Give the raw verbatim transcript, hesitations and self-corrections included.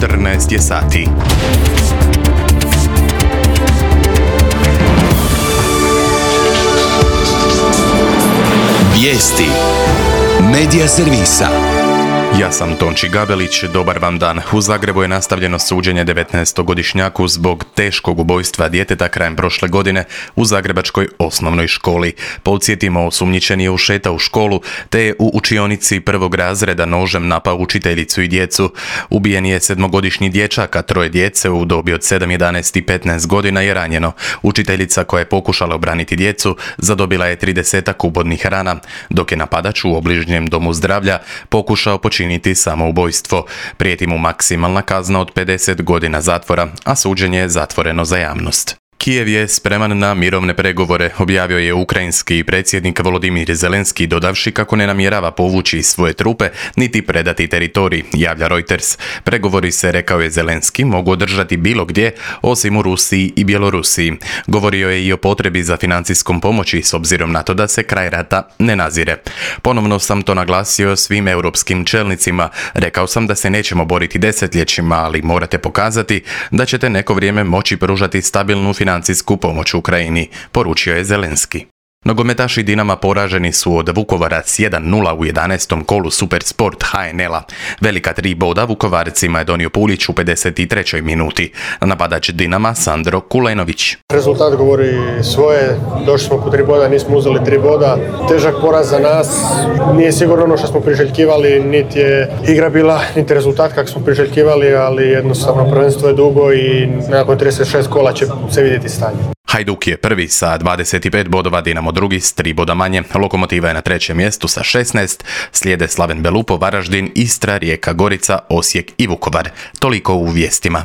četrnaest je sati. Vijesti Medija servisa. Ja sam Tonči Gabelić, dobar vam dan. U Zagrebu je nastavljeno suđenje devetnaestogodišnjaku zbog teškog ubojstva djeteta krajem prošle godine u zagrebačkoj osnovnoj školi. Podsjetimo, osumnjičeni je ušetao u školu te je u učionici prvog razreda nožem napao učiteljicu i djecu. Ubijen je sedmogodišnji dječak, a troje djece u dobi od sedam, jedanaest i petnaest godina je ranjeno. Učiteljica koja je pokušala obraniti djecu zadobila je tridesetak ubodnih rana, dok je napadač u obližnjem domu zdravlja pokušao počiniti činiti samoubojstvo. Prijeti mu maksimalna kazna od pedeset godina zatvora, a suđenje je zatvoreno za javnost. Kijev je spreman na mirovne pregovore, objavio je ukrajinski predsjednik Volodimir Zelenski, dodavši kako ne namjerava povući svoje trupe niti predati teritorij, javlja Reuters. Pregovori se, rekao je Zelenski, mogu održati bilo gdje, osim u Rusiji i Bjelorusiji. Govorio je i o potrebi za financijskom pomoći s obzirom na to da se kraj rata ne nazire. Ponovno sam to naglasio svim europskim čelnicima. Rekao sam da se nećemo boriti desetljećima, ali morate pokazati da ćete neko vrijeme moći pružati stabilnu financijsku financijsku pomoć Ukrajini, poručio je Zelenski. Nogometaši Dinama poraženi su od Vukovara s jedan nula u jedanaestom kolu Supersport H N L-a. Velika tri boda Vukovarcima je donio Pulić u pedeset trećoj minuti. Napadač Dinama Sandro Kulenović. Rezultat govori svoje, došli smo po tri boda, nismo uzeli tri boda. Težak poraz za nas, nije sigurno ono što smo priželjkivali, niti je igra bila, niti rezultat kako smo priželjkivali, ali jednostavno prvenstvo je dugo i nakon trideset šest kola će se vidjeti stanje. Hajduk je prvi sa dvadeset pet bodova, Dinamo drugi s tri boda manje. Lokomotiva je na trećem mjestu sa šesnaest, slijede Slaven Belupo, Varaždin, Istra, Rijeka, Gorica, Osijek i Vukovar. Toliko u vijestima.